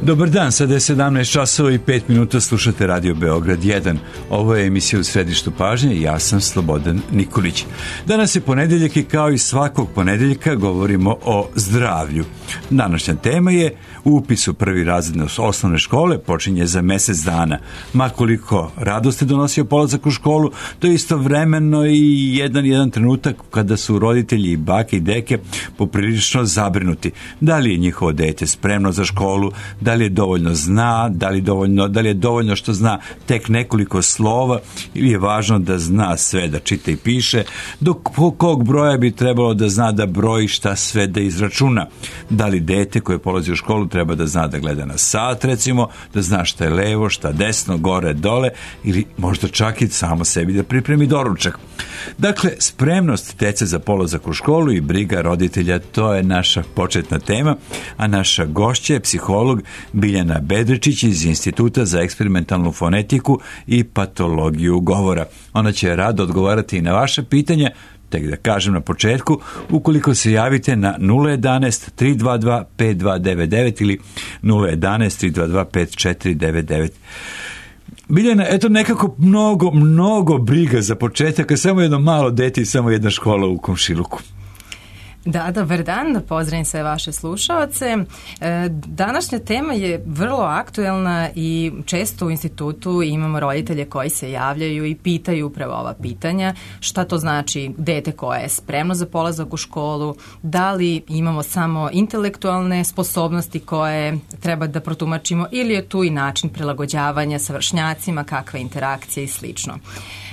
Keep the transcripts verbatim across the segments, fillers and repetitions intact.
Dobar dan, sada je sedamnaest časova i pet minuta, slušate Radio Beograd jedan. Ovo je emisija U središtu pažnje i ja sam Slobodan Nikolić. Danas je ponedeljak i kao i svakog ponedeljka govorimo o zdravlju. Današnja tema je upis u prvi razred osnovne škole počinje za mesec dana. Ma koliko radosti donosio polazak u školu, to je istovremeno i jedan jedan trenutak kada su roditelji i bake i deke poprilično zabrinuti. Da li je njihovo dete spremno za školu, da li je dovoljno zna, da li, dovoljno, da li je dovoljno što zna tek nekoliko slova ili je važno da zna sve, da čita i piše, do kog broja bi trebalo da zna da broji, šta sve da izračuna. Da li dete koje polazi u školu treba da zna da gleda na sat, recimo, da zna šta je levo, šta desno, gore, dole, ili možda čak i samo sebi da pripremi doručak. Dakle, spremnost dece za polazak u školu i briga roditelja, to je naša početna tema, a naša gošća je psiholog Biljana Bedričić iz Instituta za eksperimentalnu fonetiku i patologiju govora. Ona će rado odgovarati i na vaše pitanja, tek da kažem na početku, ukoliko se javite na nula jedanaest tri dva dva pet dva devet devet ili nula jedanaest tri dva dva pet četiri devet devet. Biljana, eto nekako mnogo, mnogo briga za početak, a samo jedno malo dete i samo jedna škola u komšiluku. Da, dobar dan, da pozdravim sve vaše slušaoce. Današnja tema je vrlo aktuelna i često u institutu imamo roditelje koji se javljaju i pitaju upravo ova pitanja. Šta to znači dete koje je spremno za polazak u školu, da li imamo samo intelektualne sposobnosti koje treba da protumačimo ili je tu i način prilagođavanja sa vršnjacima, kakva interakcija i slično.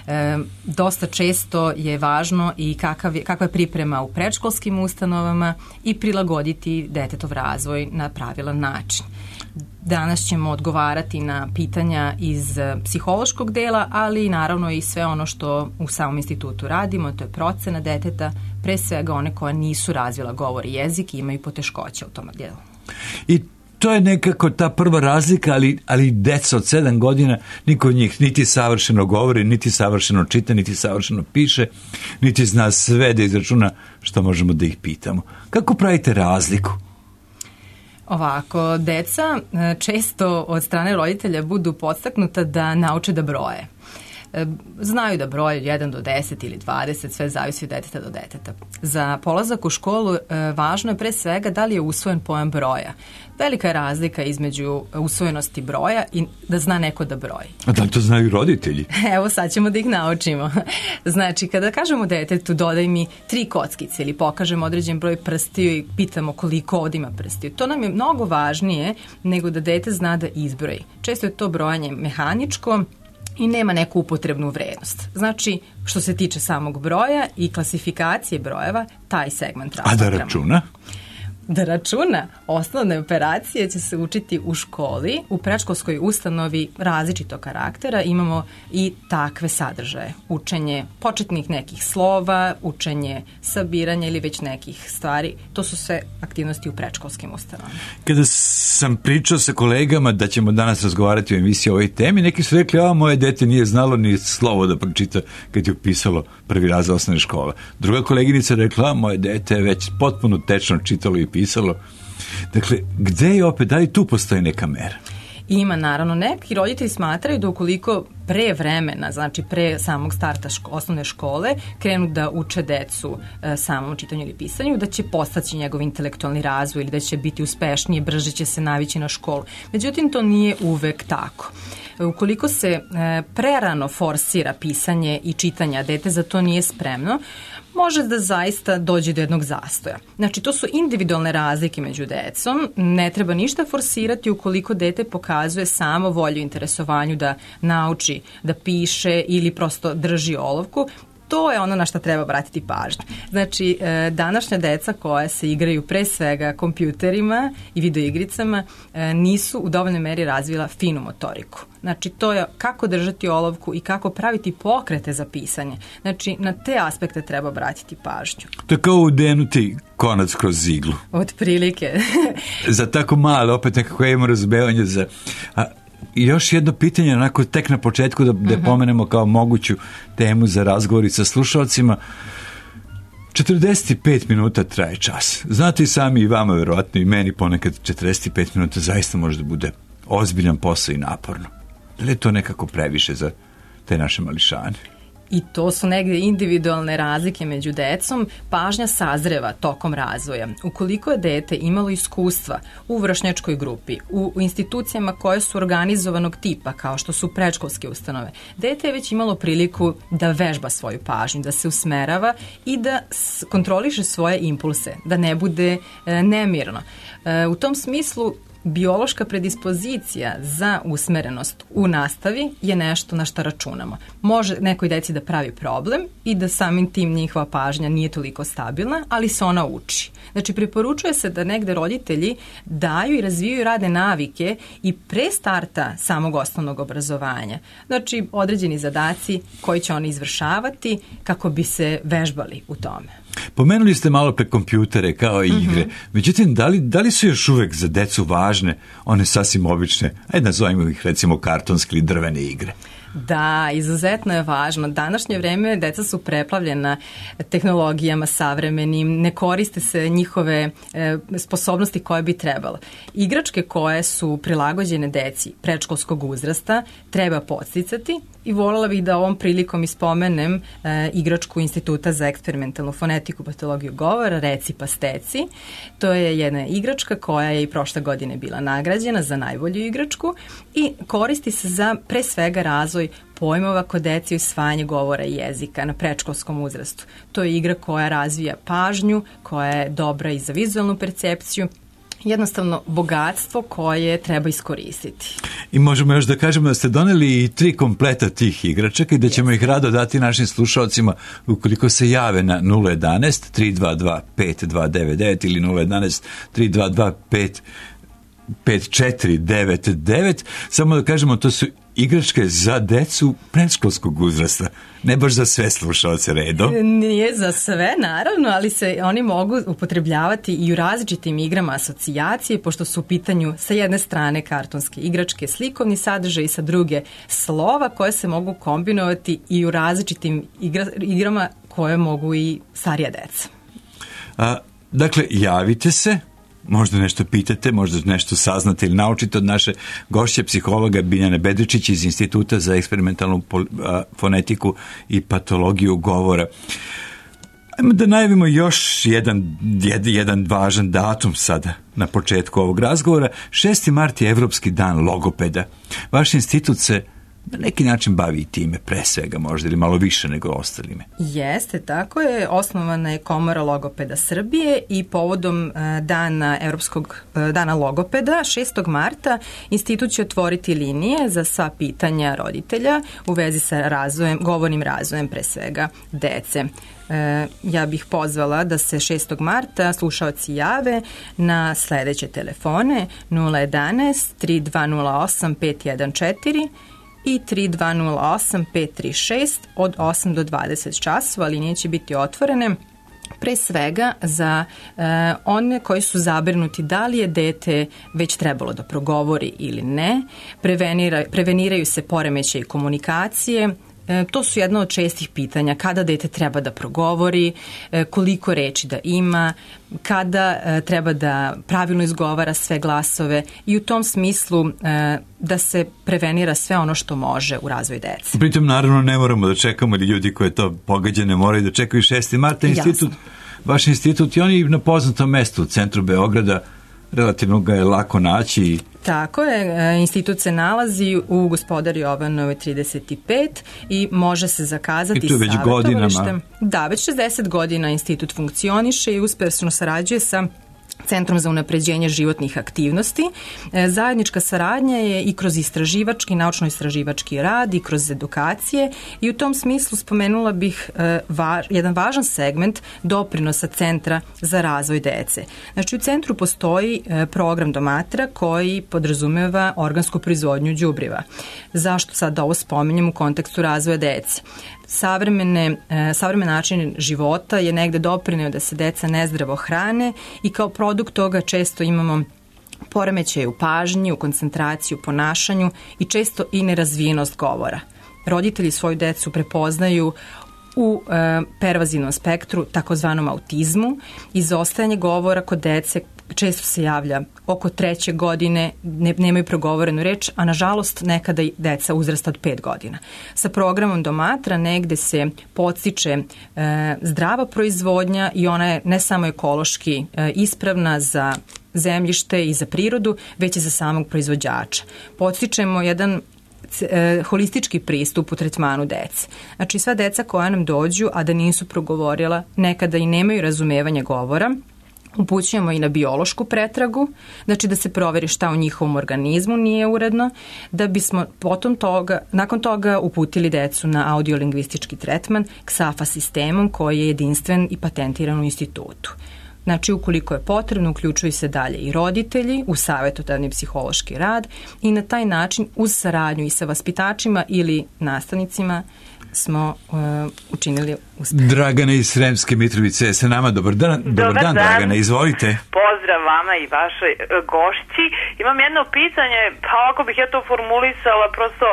E, dosta često je važno i kakav je, kakva je priprema u predškolskim ustanovama i prilagoditi detetov razvoj na pravilan način. Danas ćemo odgovarati na pitanja iz psihološkog dela, ali naravno i sve ono što u samom institutu radimo, to je procena deteta, pre svega one koja nisu razvila govor i jezik i imaju poteškoće u tom delu. I to je nekako ta prva razlika, ali, ali deca od sedam godina, niko od njih niti savršeno govori, niti savršeno čita, niti savršeno piše, niti zna sve da izračuna što možemo da ih pitamo. Kako pravite razliku? Ovako, deca često od strane roditelja budu podstaknuta da nauče da broje. Znaju da broje jedan do deset ili dvadeset, sve zavisi od deteta do deteta. Za polazak u školu važno je pre svega da li je usvojen pojam broja. Velika je razlika između usvojenosti broja i da zna neko da broji. A da li to znaju roditelji? Evo, sad ćemo da ih naučimo. Znači, kada kažemo detetu dodaj mi tri kockice ili pokažemo određen broj prstiju i pitamo koliko ovdje ima prstiju, to nam je mnogo važnije nego da dete zna da izbroji. Često je to brojanje mehaničko i nema neku upotrebnu vrednost. Znači, što se tiče samog broja i klasifikacije brojeva, taj segment razmatramo. A da računa? Da računa, osnovne operacije će se učiti u školi, u predškolskoj ustanovi različitog karaktera, imamo i takve sadržaje. Učenje početnih nekih slova, učenje sabiranja ili već nekih stvari, to su sve aktivnosti u predškolskim ustanovama. Kada sam pričao sa kolegama da ćemo danas razgovarati o emisiji o ovoj temi, neki su rekli, a moje dete nije znalo ni slovo da pročita kad je upisalo prvi razred osnovne škole. Druga koleginica rekla, a moje dete je već potpuno tečno čitalo i pisalo. Dakle, gde je opet, da li tu postoji neka mera? Ima, naravno. Neki roditelji smatraju da ukoliko pre vremena, znači pre samog starta ško, osnovne škole, krenu da uče decu e, samom čitanju ili pisanju, da će postaći njegov intelektualni razvoj ili da će biti uspešniji, brže će se navići na školu. Međutim, to nije uvek tako. Ukoliko se e, prerano forsira pisanje i čitanje, a dete za to nije spremno, može da zaista dođe do jednog zastoja. Znači, to su individualne razlike među decom, ne treba ništa forsirati ukoliko dete pokazuje samo volju i interesovanju da nauči da piše ili prosto drži olovku. To je ono na što treba obratiti pažnju. Znači, današnja deca koja se igraju pre svega kompjuterima i videoigricama nisu u dovoljnoj meri razvila finu motoriku. Znači, to je kako držati olovku i kako praviti pokrete za pisanje. Znači, na te aspekte treba obratiti pažnju. To je kao udenuti konac kroz iglu. Od prilike. Za tako malo, opet nekako imamo razumevanje za... A, i još jedno pitanje, onako tek na početku da, da uh-huh. pomenemo kao moguću temu za razgovor sa slušalcima. četrdeset pet minuta traje čas. Znate i sami i vama, verovatno i meni ponekad četrdeset pet minuta zaista može da bude ozbiljan posao i naporno. Da li je to nekako previše za te naše mališane? I to su negde individualne razlike među decom. Pažnja sazreva tokom razvoja. Ukoliko je dete imalo iskustva u vršnjačkoj grupi, u institucijama koje su organizovanog tipa, kao što su predškolske ustanove, dete je već imalo priliku da vežba svoju pažnju, da se usmerava i da kontroliše svoje impulse, da ne bude e, nemirno. E, u tom smislu, biološka predispozicija za usmerenost u nastavi je nešto na što računamo. Može nekoj deci da pravi problem i da samim tim njihova pažnja nije toliko stabilna, ali se ona uči. Znači, preporučuje se da negde roditelji daju i razvijaju radne navike i pre starta samog osnovnog obrazovanja. Znači, određeni zadaci koji će oni izvršavati kako bi se vežbali u tome. Pomenuli ste malo pre kompjutere kao i igre. Mm-hmm. Međutim, da li, da li su još uvek za decu važne one sasvim obične, ajde nazovimo ih recimo kartonske ili drvene igre? Da, izuzetno je važno. Današnje vreme deca su preplavljena tehnologijama savremenim, ne koriste se njihove e, sposobnosti koje bi trebalo. Igračke koje su prilagođene deci predškolskog uzrasta treba podsticati i voljela bih da ovom prilikom ispomenem e, igračku Instituta za eksperimentalnu fonetiku, patologiju govora, Reci pa steci. To je jedna igračka koja je i prošle godine bila nagrađena za najbolju igračku i koristi se za pre svega razvoj pojmova kod dece i usvajanje govora i jezika na predškolskom uzrastu. To je igra koja razvija pažnju, koja je dobra i za vizualnu percepciju, jednostavno bogatstvo koje treba iskoristiti. I možemo još da kažemo da ste doneli i tri kompleta tih igračaka i da ćemo ih rado dati našim slušalcima ukoliko se jave na nula jedanaest tri dva dva pet dva devet devet ili nula jedanaest tri dva dva pet pet četiri devet devet. Samo da kažemo, to su igračke za decu predškolskog uzrasta, ne baš za sve slušalce redom. Nije za sve, naravno, ali se oni mogu upotrebljavati i u različitim igrama asocijacije, pošto su u pitanju sa jedne strane kartonske igračke, slikovni sadržaj i sa druge slova koje se mogu kombinovati i u različitim igra, igrama koje mogu i starija deca. A, dakle, javite se, možda nešto pitate, možda nešto saznate ili naučite od naše gošće psihologa Biljane Bedričić iz Instituta za eksperimentalnu fonetiku i patologiju govora. Ajmo da najavimo još jedan, jedan važan datum sada na početku ovog razgovora. šesti mart je Evropski dan logopeda. Vaš institut se na neki način bavi i time, pre svega možda, ili malo više nego ostalime. Jeste, tako je. Osnovana je Komora logopeda Srbije i povodom dana Evropskog dana logopeda, šestog marta, institut će otvoriti linije za sva pitanja roditelja u vezi sa razvojem, govornim razvojem pre svega dece. Ja bih pozvala da se šestog marta slušaoci jave na sledeće telefone nula jedanaest tri dva nula osam pet jedan četiri i tri dva nula osam pet tri šest od osam do dvadeset časova. Linije će biti otvorene pre svega za e, one koji su zabrinuti da li je dete već trebalo da progovori ili ne. Prevenira, preveniraju se poremećaji komunikacije. E, to su jedna od čestih pitanja, kada dete treba da progovori, e, koliko reči da ima, kada e, treba da pravilno izgovara sve glasove i u tom smislu e, da se prevenira sve ono što može u razvoju dece. Pritom naravno ne moramo da čekamo, ili ljudi koji to pogađane moraju da čekaju šesti marta. Institut, vaš institut i oni na poznatom mestu u centru Beograda, relativno ga je lako naći. Tako je, institut se nalazi u Gospodari Jovanove trideset pet i može se zakazati i to već godinama. Da, već šezdeset godina institut funkcioniše i uspešno sarađuje sa Centrom za unapređenje životnih aktivnosti. Zajednička saradnja je i kroz istraživački, naučno-istraživački rad i kroz edukacije i u tom smislu spomenula bih va, jedan važan segment doprinosa Centra za razvoj dece. Znači u centru postoji program Domatra koji podrazumeva organsku proizvodnju đubriva. Zašto sad ovo spominjem u kontekstu razvoja dece? Savremene, savremen način života je negde doprineo da se deca nezdravo hrane i kao produkt toga često imamo poremećaje u pažnji, u koncentraciji, u ponašanju i često i nerazvijenost govora. Roditelji svoju decu prepoznaju u e, pervazivnom spektru, takozvanom autizmu, izostajanje govora kod dece često se javlja oko treće godine, ne, nemaju progovorenu reč, a nažalost nekada i deca uzrasta od pet godina. Sa programom Domatra negde se podstiče e, zdrava proizvodnja i ona je ne samo ekološki e, ispravna za zemljište i za prirodu, već i za samog proizvođača. Podstičemo jedan e, holistički pristup u tretmanu dece. Znači sva deca koja nam dođu, a da nisu progovorila, nekada i nemaju razumevanja govora, upućujemo i na biološku pretragu, znači da se proveri šta u njihovom organizmu nije uredno, da bismo potom toga, nakon toga uputili decu na audiolingvistički tretman X A F A sistemom koji je jedinstven i patentiran u institutu. Znači, ukoliko je potrebno, uključuju se dalje i roditelji u savjetodavni psihološki rad i na taj način uz saradnju i sa vaspitačima ili nastavnicima smo uh, učinili uspeh. Dragana iz Sremske Mitrovice je sa nama. Dobar dan, dobar, dobar dan, dan, Dragana, izvolite. Pozdrav vama i vašoj gošći. Imam jedno pitanje, pa ako bih ja to formulisala, prosto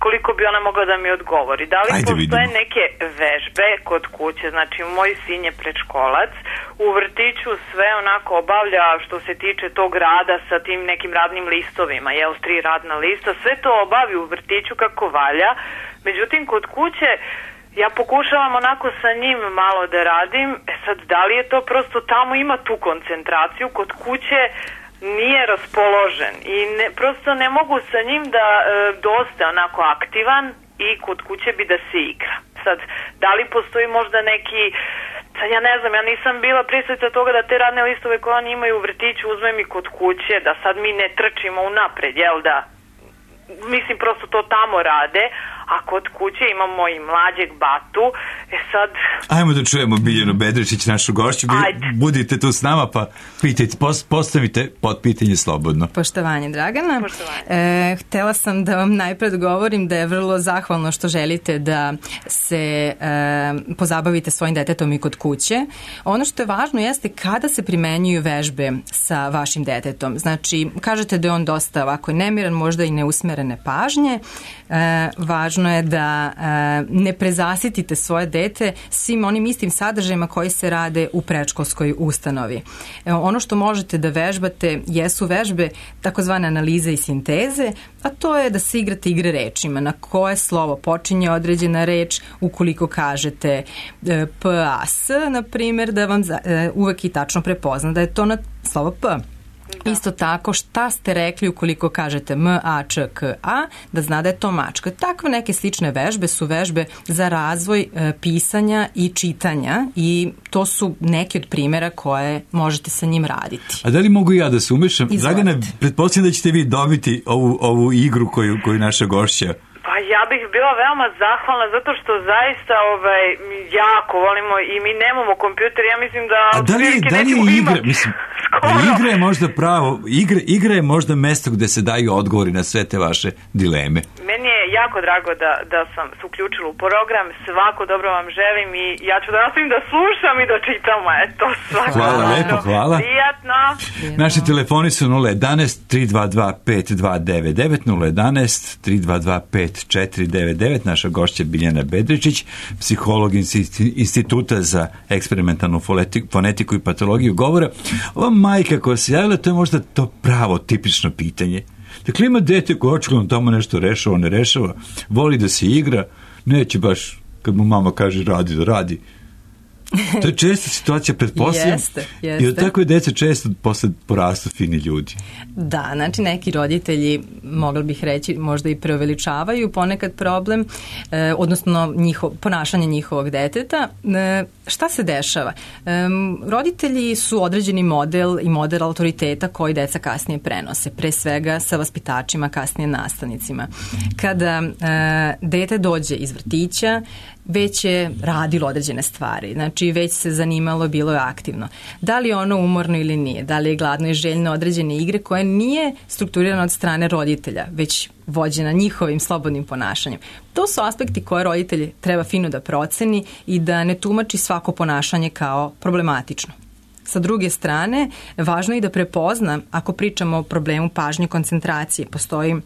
koliko bi ona mogla da mi odgovori. Da li Ajde, postoje vidimo. neke vežbe kod kuće? Znači, moj sin je predškolac, u vrtiću sve onako obavlja što se tiče tog rada sa tim nekim radnim listovima, jel, tri radna lista, sve to obavi u vrtiću kako valja. Međutim, kod kuće ja pokušavam onako sa njim malo da radim. E sad, da li je to prosto tamo ima tu koncentraciju, kod kuće nije raspoložen i ne, prosto ne mogu sa njim da e, dosta onako aktivan i kod kuće bi da se igra. Sad, da li postoji možda neki, sad ja ne znam, ja nisam bila prisutna toga da te radne listove koje oni imaju u vrtiću uzmem i kod kuće, da sad mi ne trčimo unapred, jel da? Mislim, prosto to tamo rade, a kod kuće imamo i mlađeg batu, e sad... Ajmo da čujemo Biljanu Bedričić, našu gošću. Budite tu s nama, pa pitajte, postavite pod pitanje slobodno. Poštovanje, Dragana. Poštovanje. E, htela sam da vam najpred govorim da je vrlo zahvalno što želite da se e, pozabavite svojim detetom i kod kuće. Ono što je važno jeste kada se primenjuju vežbe sa vašim detetom. Znači, kažete da je on dosta ovako nemiran, možda i neusmerene pažnje. E, važno je da e, ne prezasitite svoje dete svim onim istim sadržajima koji se rade u predškolskoj ustanovi. E, ono što možete da vežbate jesu vežbe takozvane analize i sinteze, a to je da se igrate igre rečima, na koje slovo počinje određena reč, ukoliko kažete e, P, A, S, na primjer, da vam za, e, uvek i tačno prepozna da je to na slovo P. Da. Isto tako, šta ste rekli ukoliko kažete M, A, Č, K, A, da zna da je to mačka. Takve neke slične vežbe su vežbe za razvoj e, pisanja i čitanja i to su neki od primjera koje možete sa njim raditi. A da li mogu ja da se umešam? Dragana, pretpostavljam da ćete vi dobiti ovu, ovu igru koju, koju naša gošća. Pa ja bih bila veoma zahvalna zato što zaista ovaj, jako volimo i mi nemamo kompjuter, ja mislim da... A da li, da li je igra, mislim, igra je možda pravo, igra, igra je možda mesto gde se daju odgovori na sve te vaše dileme. Meni je jako drago da, da sam se uključila u program, svako dobro vam želim i ja ću da nastavim da slušam i da čitam, eto, svako hvala dobro. Lepo, hvala. Prijatno. Naši telefoni su nula jedan tri dva dva pet dva devet devet, nula jedan tri dva dva pet četiri devet devet. Naša gošća Biljana Bedričić, psiholog Instituta za eksperimentalnu fonetiku i patologiju govora. Ova majka koja se javila, to je možda to pravo, tipično pitanje. Dakle, ima dete koje očigledno tamo nešto rešava, ne rešava, voli da se igra, neće baš, kad mu mama kaže radi, da radi. To je česta situacija, pretpostavljam. Jeste, jeste. I od takve dece često posle porastu fini ljudi. Da, znači neki roditelji, mogla bih reći, možda i preuveličavaju ponekad problem, eh, odnosno njiho, ponašanje njihovog deteta. Eh, šta se dešava? Eh, roditelji su određeni model i model autoriteta koji deca kasnije prenose, pre svega sa vaspitačima, kasnije nastavnicima. Kada eh, dete dođe iz vrtića, već je radilo određene stvari, znači već se zanimalo, bilo je aktivno. Da li je ono umorno ili nije, da li je gladno i željno određene igre koje nije strukturirano od strane roditelja, već vođena njihovim slobodnim ponašanjem. To su aspekti koje roditelji treba fino da proceni i da ne tumači svako ponašanje kao problematično. Sa druge strane, važno je da prepozna, ako pričamo o problemu pažnje, koncentracije, postoji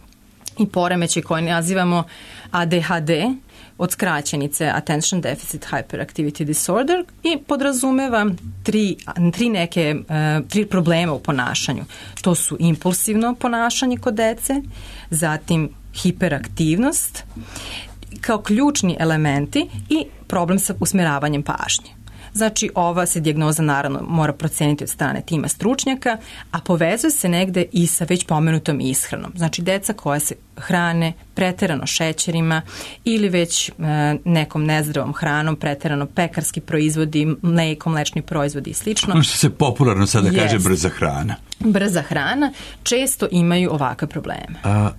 i poremećaj koji nazivamo A D H D, od skraćenice Attention Deficit Hyperactivity Disorder, i podrazumeva tri, tri neke uh, tri problema u ponašanju. To su impulsivno ponašanje kod dece, zatim hiperaktivnost kao ključni elementi i problem sa usmeravanjem pažnje. Znači, ova se dijagnoza naravno mora proceniti od strane tima stručnjaka, a povezuje se negde i sa već pomenutom ishranom. Znači, deca koja se hrane preterano šećerima ili već e, nekom nezdravom hranom, preterano pekarski proizvodi, mleko, mlečni proizvodi i slično. Ono što se popularno sada yes. kaže brza hrana. Brza hrana često imaju ovakve probleme. A...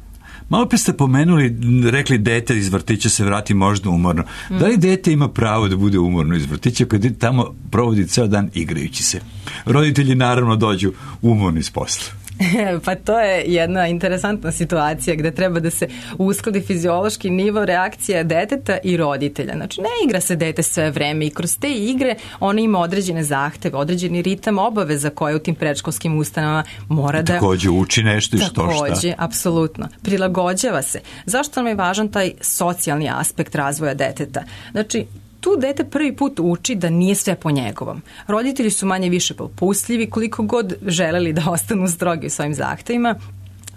Malo pre ste pomenuli, rekli dete iz vrtića se vrati možda umorno. Mm. Da li dete ima pravo da bude umorno iz vrtića kad tamo provodi ceo dan igrajući se? Roditelji naravno dođu umorni s posla. Pa to je jedna interesantna situacija gde treba da se uskladi fiziološki nivo reakcija deteta i roditelja. Znači, ne igra se dete sve vreme i kroz te igre ona ima određene zahteve, određeni ritam obaveza koje u tim predškolskim ustanovama mora da... Takođe uči nešto i što šta. Takođe, apsolutno. Prilagođava se. Zašto nam je važan taj socijalni aspekt razvoja deteta? Znači, tu dete prvi put uči da nije sve po njegovom. Roditelji su manje više popustljivi, koliko god želeli da ostanu strogi u svojim zahtevima.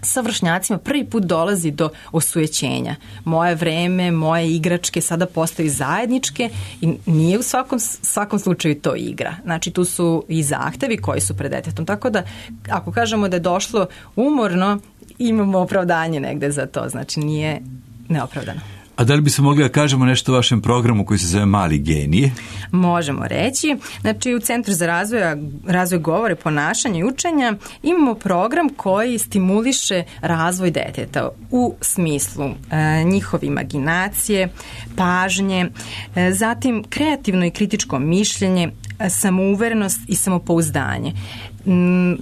Sa vršnjacima prvi put dolazi do osujećenja. Moje vreme, moje igračke sada postaju zajedničke i nije u svakom, svakom slučaju to igra. Znači, tu su i zahtevi koji su pred detetom. Tako da, ako kažemo da je došlo umorno, imamo opravdanje negde za to. Znači, nije neopravdano. A da li bi se mogli da kažemo nešto o vašem programu koji se zove Mali genije? Možemo reći. Znači, u Centru za razvoj, razvoj govora, ponašanja i učenja imamo program koji stimuliše razvoj deteta u smislu e, njihove imaginacije, pažnje, e, zatim kreativno i kritičko mišljenje, samouverenost i samopouzdanje.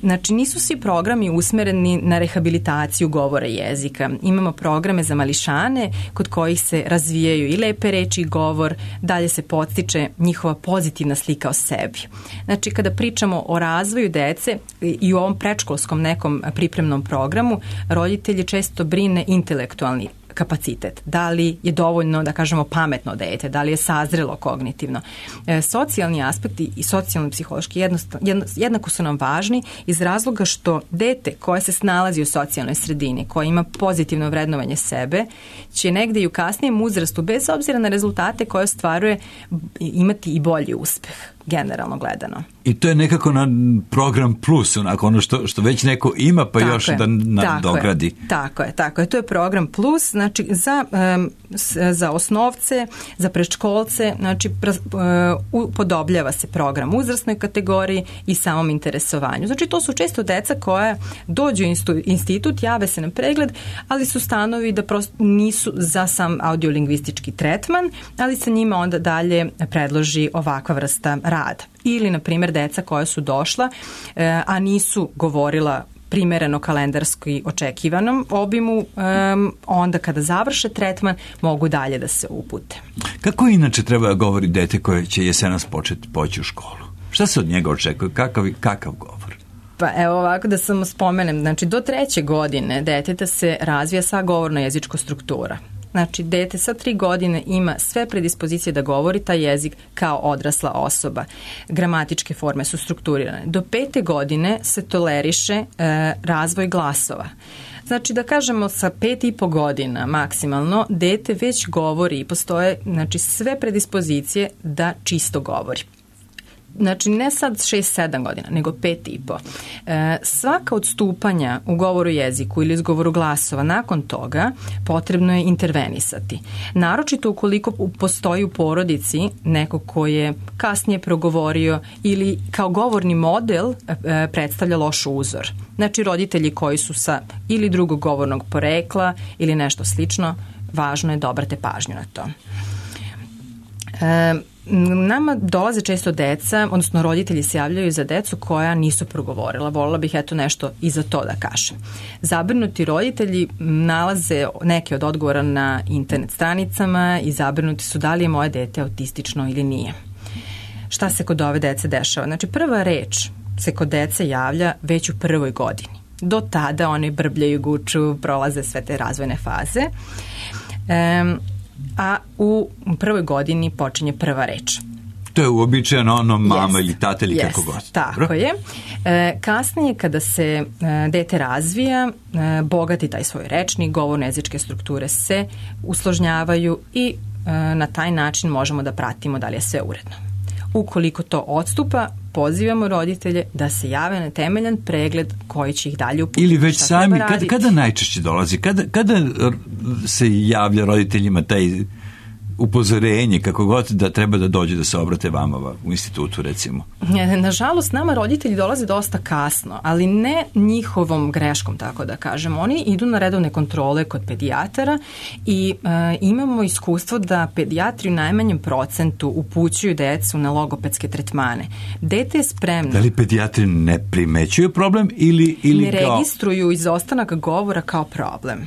Znači, nisu svi programi usmereni na rehabilitaciju govora jezika. Imamo programe za mališane kod kojih se razvijaju i lepe reči i govor, dalje se podstiče njihova pozitivna slika o sebi. Znači, kada pričamo o razvoju dece i u ovom predškolskom nekom pripremnom programu, roditelji često brine intelektualni kapacitet, da li je dovoljno, da kažemo, pametno dete, da li je sazrelo kognitivno. E, socijalni aspekti i socijalno-psihološki jednako su nam važni iz razloga što dete koje se snalazi u socijalnoj sredini, koje ima pozitivno vrednovanje sebe, će negde i u kasnijem uzrastu, bez obzira na rezultate koje ostvaruje, imati i bolji uspeh, generalno gledano. I to je nekako na program plus, onako ono što, što već neko ima, pa tako još je, da nadogradi. Tako je, tako je, tako je. To je program plus, znači za, um, za osnovce, za predškolce, znači uh, upodobljava se program uzrasnoj kategoriji i samom interesovanju. Znači, to su često deca koja dođu u institut, jave se na pregled, ali su stanovi da prosto nisu za sam audiolingvistički tretman, ali se njima onda dalje predloži ovakva vrsta rada. Ili, na primjer, deca koja su došla, e, a nisu govorila primereno kalendarski očekivanom obimu, um, onda kada završe tretman mogu dalje da se upute. Kako inače treba da govori dete koje će jesenas početi poći u školu? Šta se od njega očekuje? Kakav, kakav govor? Pa evo ovako da samo spomenem, znači do treće godine deteta se razvija sva govorno-jezička struktura. Znači, dete sa tri godine ima sve predispozicije da govori taj jezik kao odrasla osoba. Gramatičke forme su strukturirane. Do pete godine se toleriše e, razvoj glasova. Znači, da kažemo sa pet i po godina maksimalno, dete već govori i postoje, znači, sve predispozicije da čisto govori. Znači, ne sad šest sedam godina, nego pet i po. E, svaka odstupanja u govoru jeziku ili izgovoru glasova nakon toga potrebno je intervenisati. Naročito ukoliko postoji u porodici neko ko je kasnije progovorio ili kao govorni model e, predstavlja loš uzor. Znači, roditelji koji su sa ili drugog govornog porekla ili nešto slično, važno je da obrate pažnju na to. E, Nama dolaze često deca, odnosno roditelji se javljaju za decu koja nisu progovorila. Volila bih eto nešto i za to da kažem. Zabrinuti roditelji nalaze neke od odgovora na internet stranicama i zabrinuti su da li je moje dete autistično ili nije. Šta se kod ove dece dešava? Znači, prva reč se kod dece javlja već u prvoj godini. Do tada one brbljaju, guču, prolaze sve te razvojne faze. Um, a u prvoj godini počinje prva reč. To je uobičajeno ono mama yes, ili tata ili yes, kako god. Tako Bro? je. E, kasnije kada se e, dete razvija, e, bogati taj svoj rečnik, govorno-jezičke strukture se usložnjavaju i e, na taj način možemo da pratimo da li je sve uredno. Ukoliko to odstupa, pozivamo roditelje da se jave na temeljan pregled koji će ih dalje uputiti. Ili već sami, kada, kada najčešće dolazi? Kada, kada se javlja roditeljima taj upozorenje, kako god, da treba da dođe da se obrate vama u institutu, recimo? Nažalost, nama roditelji dolaze dosta kasno, ali ne njihovom greškom, tako da kažem. Oni idu na redovne kontrole kod pedijatara i e, imamo iskustvo da pedijatri u najmanjem procentu upućuju decu na logopedske tretmane. Dete je spremno. Da li pedijatri ne primećuju problem ili, ili ne kao... registruju izostanak govora kao problem?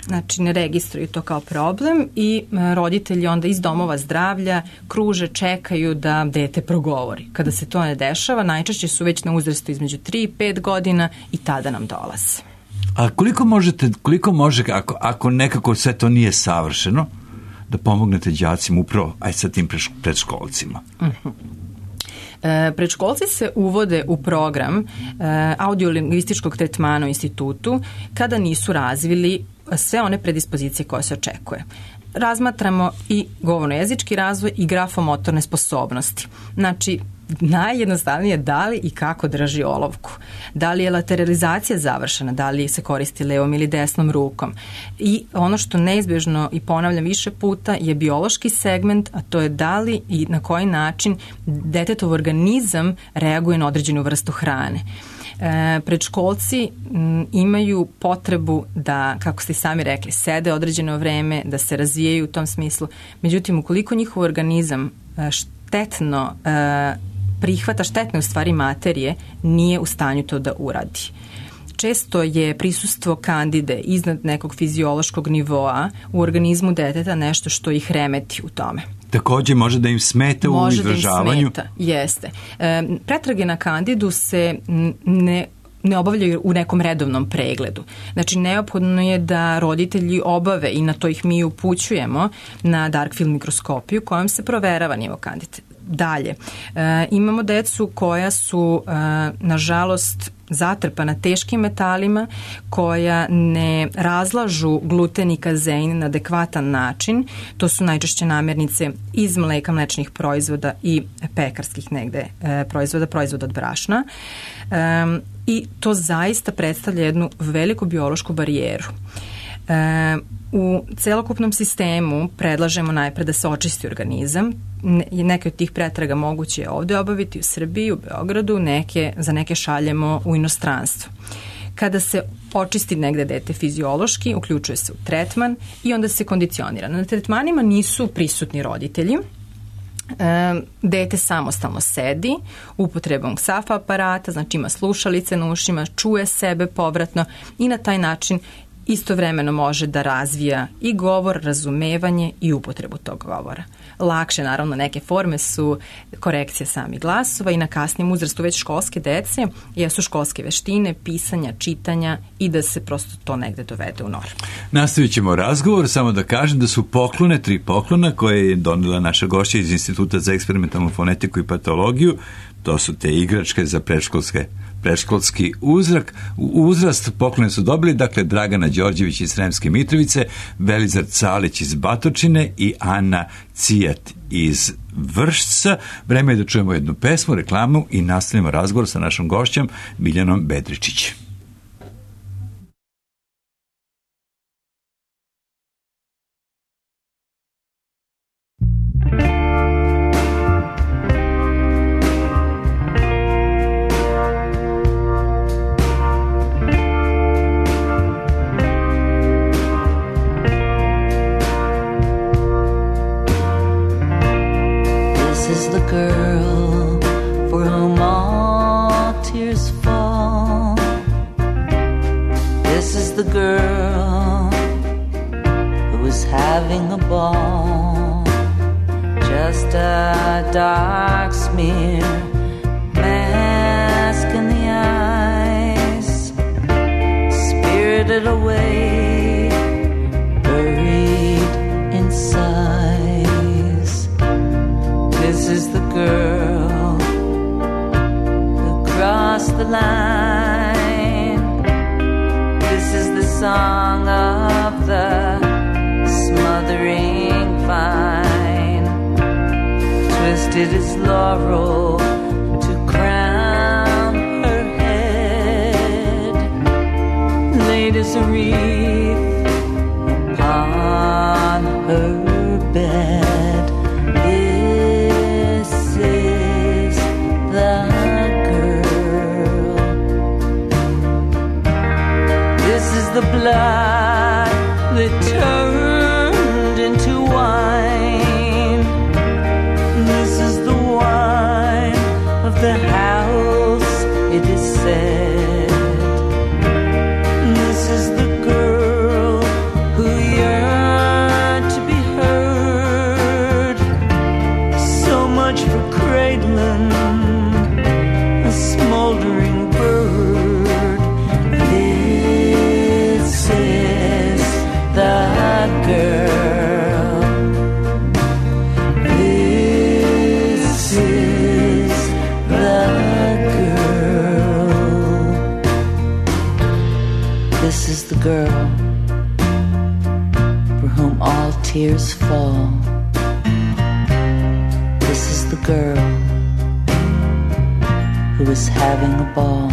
Znači, ne registruju to kao problem i roditelji onda iz domova zdravlja kruže, čekaju da dete progovori. Kada se to ne dešava, najčešće su već na uzrastu između tri i pet godina i tada nam dolaze. A koliko možete, koliko može, ako, ako nekako sve to nije savršeno, da pomognete đacima upravo, aj sa tim predškolcima? Uh-huh. E, predškolci se uvode u program e, audiolingvističkog tretmana u institutu kada nisu razvili sve one predispozicije koje se očekuje. Razmatramo i govorno-jezički razvoj i grafomotorne sposobnosti. Znači, najjednostavnije da li i kako drži olovku. Da li je lateralizacija završena, da li se koristi levom ili desnom rukom. I ono što neizbježno i ponavljam više puta je biološki segment, a to je da li i na koji način detetov organizam reaguje na određenu vrstu hrane. E, predškolci m, imaju potrebu da, kako ste sami rekli, sede određeno vreme, da se razvijaju u tom smislu. Međutim, ukoliko njihov organizam e, štetno e, prihvata štetne u stvari materije, nije u stanju to da uradi. Često je prisustvo kandide iznad nekog fiziološkog nivoa u organizmu deteta nešto što ih remeti u tome. Takođe može da im smeta u izražavanju? Može da im smeta, jeste. E, pretrage na kandidu se ne ne obavljaju u nekom redovnom pregledu. Znači, neophodno je da roditelji obave, i na to ih mi upućujemo, na dark field mikroskopiju kojom se proverava nivo kandide. Dalje, e, imamo decu koja su, e, nažalost, zatrpana teškim metalima, koja ne razlažu gluten i kazein na adekvatan način. To su najčešće namirnice iz mleka, mlečnih proizvoda i pekarskih negde e, proizvoda, proizvoda od brašna. E, I to zaista predstavlja jednu veliku biološku barijeru. E, u celokupnom sistemu predlažemo najpre da se očisti organizam. Neke od tih pretraga moguće je ovde obaviti u Srbiji, u Beogradu, neke, za neke šaljemo u inostranstvo. Kada se očisti negde dete fiziološki, uključuje se u tretman i onda se kondicionira. Na tretmanima nisu prisutni roditelji. E, dete samostalno sedi upotrebom ksafa aparata, znači ima slušalice na ušima, čuje sebe povratno i na taj način istovremeno može da razvija i govor, razumevanje i upotrebu tog govora. Lakše, naravno, neke forme su korekcija samih glasova i na kasnijem uzrastu već školske dece jesu školske veštine, pisanja, čitanja i da se prosto to negde dovede u normu. Nastavit ćemo razgovor, samo da kažem da su poklone, tri poklona koje je donela naša gošća iz Instituta za eksperimentalnu fonetiku i patologiju. To su te igračke za predškolske predškolski uzrak, uzrast. Poklone su dobili, dakle, Dragana Đorđević iz Sremske Mitrovice, Velizar Calić iz Batočine i Ana Cijat iz Vršca. Vreme je da čujemo jednu pesmu, reklamu i nastavimo razgovor sa našom gošćom Miljanom Bedričić. drifted away, buried in sighs. This is the girl who crossed the line. This is the song of the smothering vine. Twisted as laurel to crown her head, laid as a wreath upon her bed. This is the girl. This is the blood that turned into wine. This is the wine of the house, it is said. This is the girl who yearned to be heard. So much for cradling a smoldering bird. This is the girl. This is the girl. This is the girl for whom all tears fall. This is the girl who is having a ball.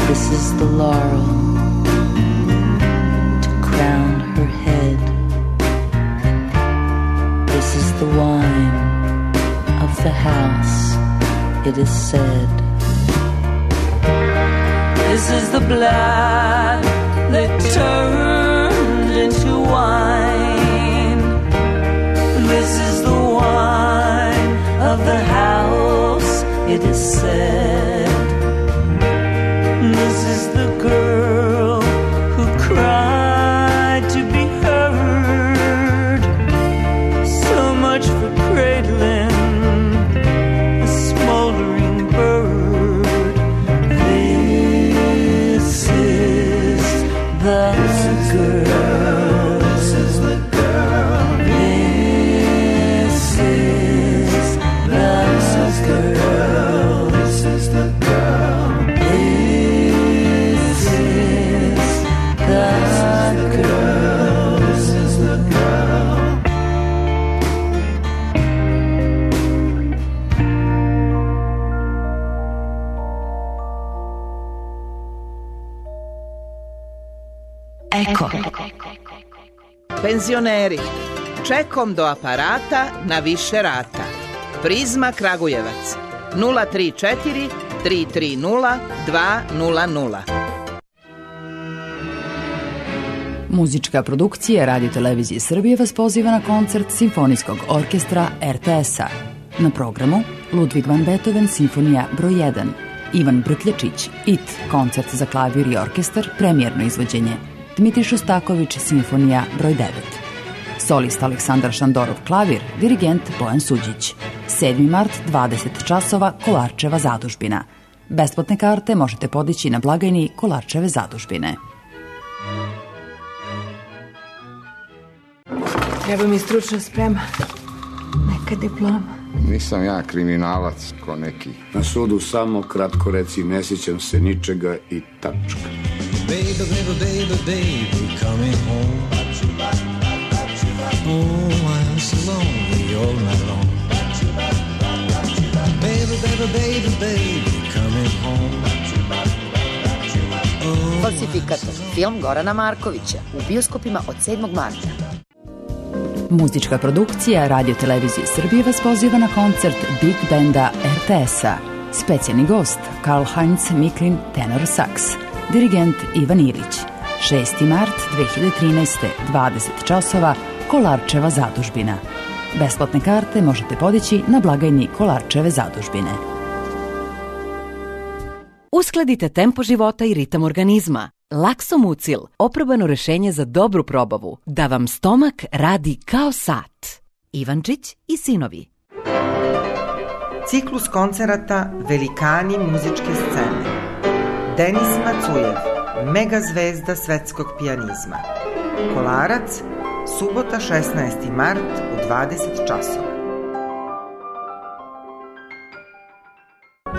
This is the laurel to crown her head. This is the wine of the house, it is said. This is the blood that turned into wine. This is the wine of the house, it is said. This is the girl who cried to be heard. So much for cradling a smoldering bird. This is the girl. This is the girl. This is the girl. This is the girl. This is the girl. This is the girl. Eko. Penzioneri, čekom do aparata na više rata. Prizma Kragujevac nula tri četiri tri tri nula dva nula nula. Muzička produkcija Radio Televizije Srbije vas poziva na koncert Simfonijskog orkestra er te es-a. Na programu Ludwig van Beethoven Simfonija broj jedan, Ivan Brkljačić, It, koncert za klavir i orkestar, premijerno izvođenje, Dmitrij Šostaković Simfonija broj devet. Solist Aleksandar Šandorov klavir, dirigent Bojan Suđić. sedmi mart, dvadeset časova, Kolarčeva zadužbina. Besplatne karte možete podići na blagajni Kolarčeve zadužbine. Treba mi stručna sprema. Neka diploma. Nisam ja kriminalac ko neki. Na sudu samo kratko reci, ne sjećam se ničega i tačka. Baby, baby, baby, baby, coming home. Oh, I'm so lonely all night long. Baby, baby, baby, baby, coming home. Oh, Falsifikator, film Gorana Markovića, u bioskopima od sedmog marta. Muzička produkcija Radio Televizije Srbije vas poziva na koncert Big Banda er te es-a. Specijalni gost Karl-Heinz Miklin, tenor saks. Dirigent Ivan Ilić. šesti mart dve hiljade trinaeste. dvadeset časova, Kolarčeva zadužbina. Besplatne karte možete podići na blagajni Kolarčeve zadužbine. Uskladite tempo života i ritam organizma. Laksomucil, oprobano rešenje za dobru probavu, da vam stomak radi kao sat. Ivančić i sinovi. Ciklus koncerata Velikani muzičke scene. Denis Macujev, mega zvezda svetskog pijanizma. Kolarac, subota šesnaesti mart u dvadeset časova.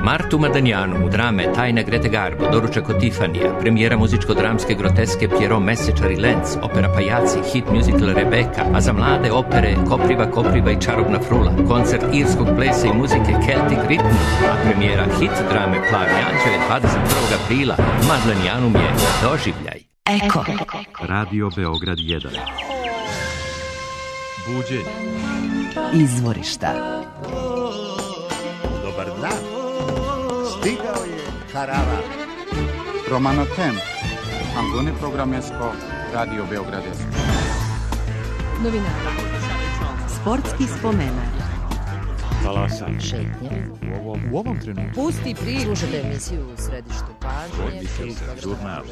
Martu Madanjanu u drame Tajna Grete Garbo, doručak od Tifanija, premijera muzičko-dramske groteske Pierrot Mesečar i Lenz, opera Pajaci, hit musical Rebeka, a za mlade opere Kopriva, Kopriva i Čarobna frula, koncert irskog plesa i muzike Celtic Rhythm, a premijera hit drame Plavi anđeo je dvadeset prvog aprila. Madanjanum je doživljaj. Eko. Radio Beograd jedan. Buđenje. Izvorišta. Dobar dan. Stigao je Karava. Romano Tem. Angone Programesko. Radio Beograd. Novinara. Sportski spomenar. Talasan. Šetnje. U ovom, u ovom trenutku. Pusti priču. Slušate emisiju u središtu pažnje. Žurnal.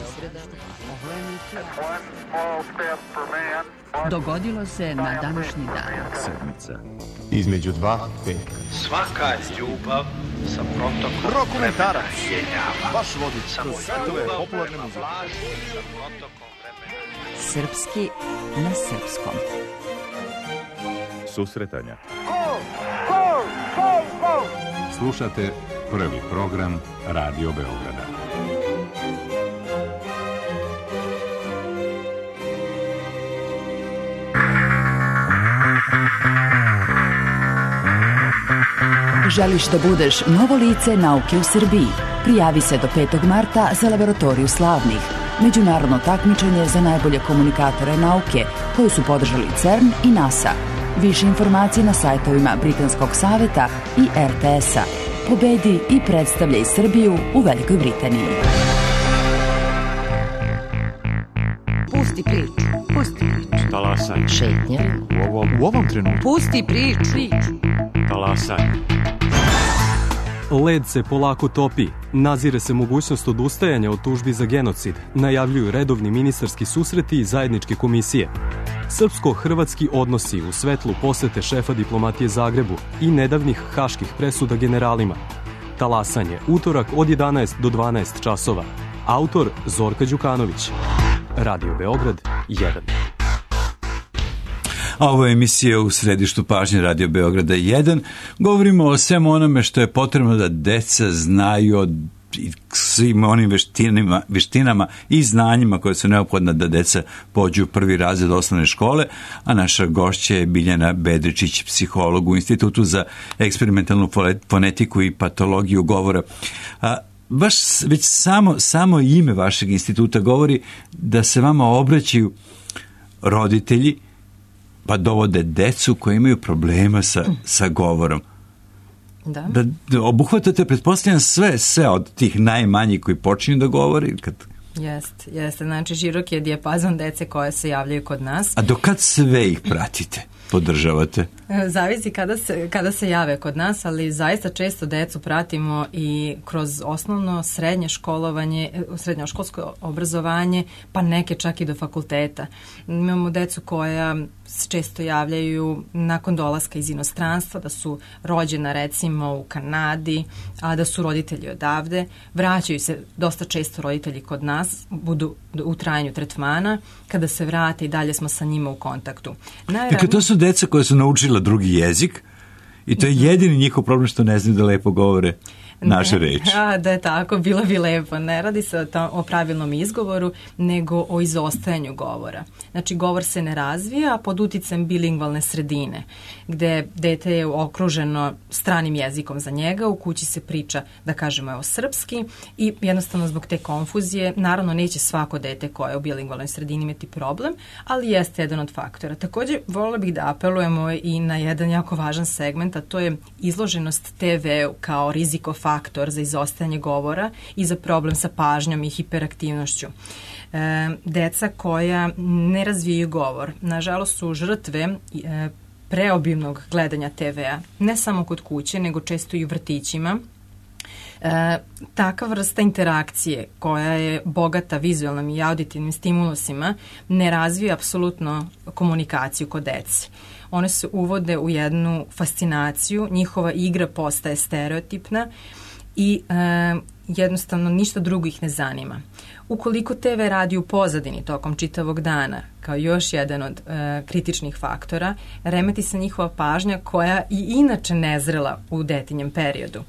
Dogodilo se na današnji dan. Sedmica. Između dva peka. Svaka ljubav sa protokom Rokomentarac. vremena. Baš vodič. Samo svetove popularne muzike. Sa protokom vremena. Srpski na srpskom. Susretanja. Gol! Gol! Gol! Gol! Slušate prvi program Radio Beograda. Želiš da budeš novo lice nauke u Srbiji? Prijavi se do petog marta za Laboratoriju slavnih, međunarodno takmičenje za najbolje komunikatore nauke, koju su podržali CERN i NASA. Više informacije na sajtovima Britanskog saveta i er te es-a. Pobedi i predstavljaj Srbiju u Velikoj Britaniji. Pusti priču. Pusti priču. Talasan. Šetnje. U ovom, u ovom trenutku. Pusti priču. Talasan. Led se polako topi. Nazire se mogućnost odustajanja od tužbi za genocid. Najavljuju redovni ministarski susreti i zajedničke komisije. Srpsko-hrvatski odnosi u svetlu posete šefa diplomatije Zagrebu i nedavnih haških presuda generalima. Talasanje, utorak od jedanaest do dvanaest časova. Autor Zorka Đukanović. Radio Beograd jedan. A ovo je emisija u središtu pažnje Radio Beograda jedan. Govorimo o svemu onome što je potrebno da deca znaju od svim onim veštinama, veštinama i znanjima koje su neophodne da deca pođu u prvi razred osnovne škole, a naša gošća je Biljana Bedričić, psiholog u Institutu za eksperimentalnu fonetiku i patologiju govora. A, baš već samo, samo ime vašeg instituta govori da se vama obraćaju roditelji pa dovode decu koji imaju problema sa, sa govorom. Da. Da, da obuhvatate, pretpostavljam, sve, sve od tih najmanjih koji počinju da govori. Kad... Jeste, jeste. Znači, širok je dijapazon dece koje se javljaju kod nas. A do kad sve ih pratite, podržavate? Zavisi kada se, kada se jave kod nas, ali zaista često decu pratimo i kroz osnovno srednje školovanje, srednjoškolsko obrazovanje, pa neke čak i do fakulteta. Imamo decu koja se često javljaju nakon dolaska iz inostranstva, da su rođena recimo u Kanadi, a da su roditelji odavde. Vraćaju se dosta često roditelji kod nas, budu u trajanju tretmana, kada se vrate i dalje smo sa njima u kontaktu. Najravno... Dakle, to su deca koje su naučila drugi jezik i to je jedini njihov problem što ne znaju da lepo govore naše reči. A, da je tako, bilo bi lepo. Ne radi se o, to, o pravilnom izgovoru, nego o izostajanju govora. Znači, govor se ne razvija pod uticajem bilingvalne sredine, gde dete je okruženo stranim jezikom za njega, u kući se priča, da kažemo, evo, srpski i jednostavno zbog te konfuzije, naravno neće svako dete koje je u bilingvalnoj sredini imati problem, ali jeste jedan od faktora. Također, voljela bih da apelujemo i na jedan jako važan segment, a to je izloženost te veu kao rizikofaktor faktor za izostajanje govora i za problem sa pažnjom i hiperaktivnošću. E, deca koja ne razvijaju govor, nažalost su žrtve e, preobimnog gledanja te vea, ne samo kod kuće, nego često i u vrtićima. E, takva vrsta interakcije koja je bogata vizualnim i auditivnim stimulusima ne razvija apsolutno komunikaciju kod dece. One se uvode u jednu fascinaciju, njihova igra postaje stereotipna i e, jednostavno ništa drugo ih ne zanima. Ukoliko te ve radi u pozadini tokom čitavog dana, kao još jedan od e, kritičnih faktora, remeti se njihova pažnja koja i inače nezrela u detinjem periodu.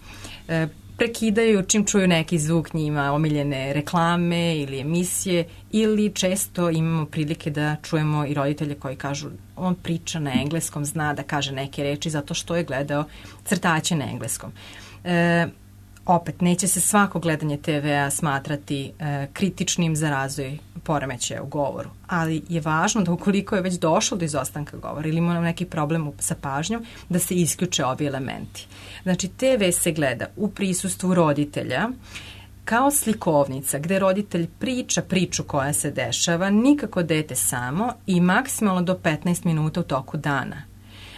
E, prekidaju čim čuju neki zvuk njima, omiljene reklame ili emisije, ili često imamo prilike da čujemo i roditelje koji kažu on priča na engleskom, zna da kaže neke reči zato što je gledao crtaće na engleskom. E, opet, neće se svako gledanje te vea smatrati e, kritičnim za razvoj poremećaja u govoru, ali je važno da ukoliko je već došlo do izostanka govora ili ima neki problem sa pažnjom, da se isključe ovi elementi. Znači, te ve se gleda u prisustvu roditelja kao slikovnica gde roditelj priča priču koja se dešava, nikako dete samo i maksimalno do petnaest minuta u toku dana.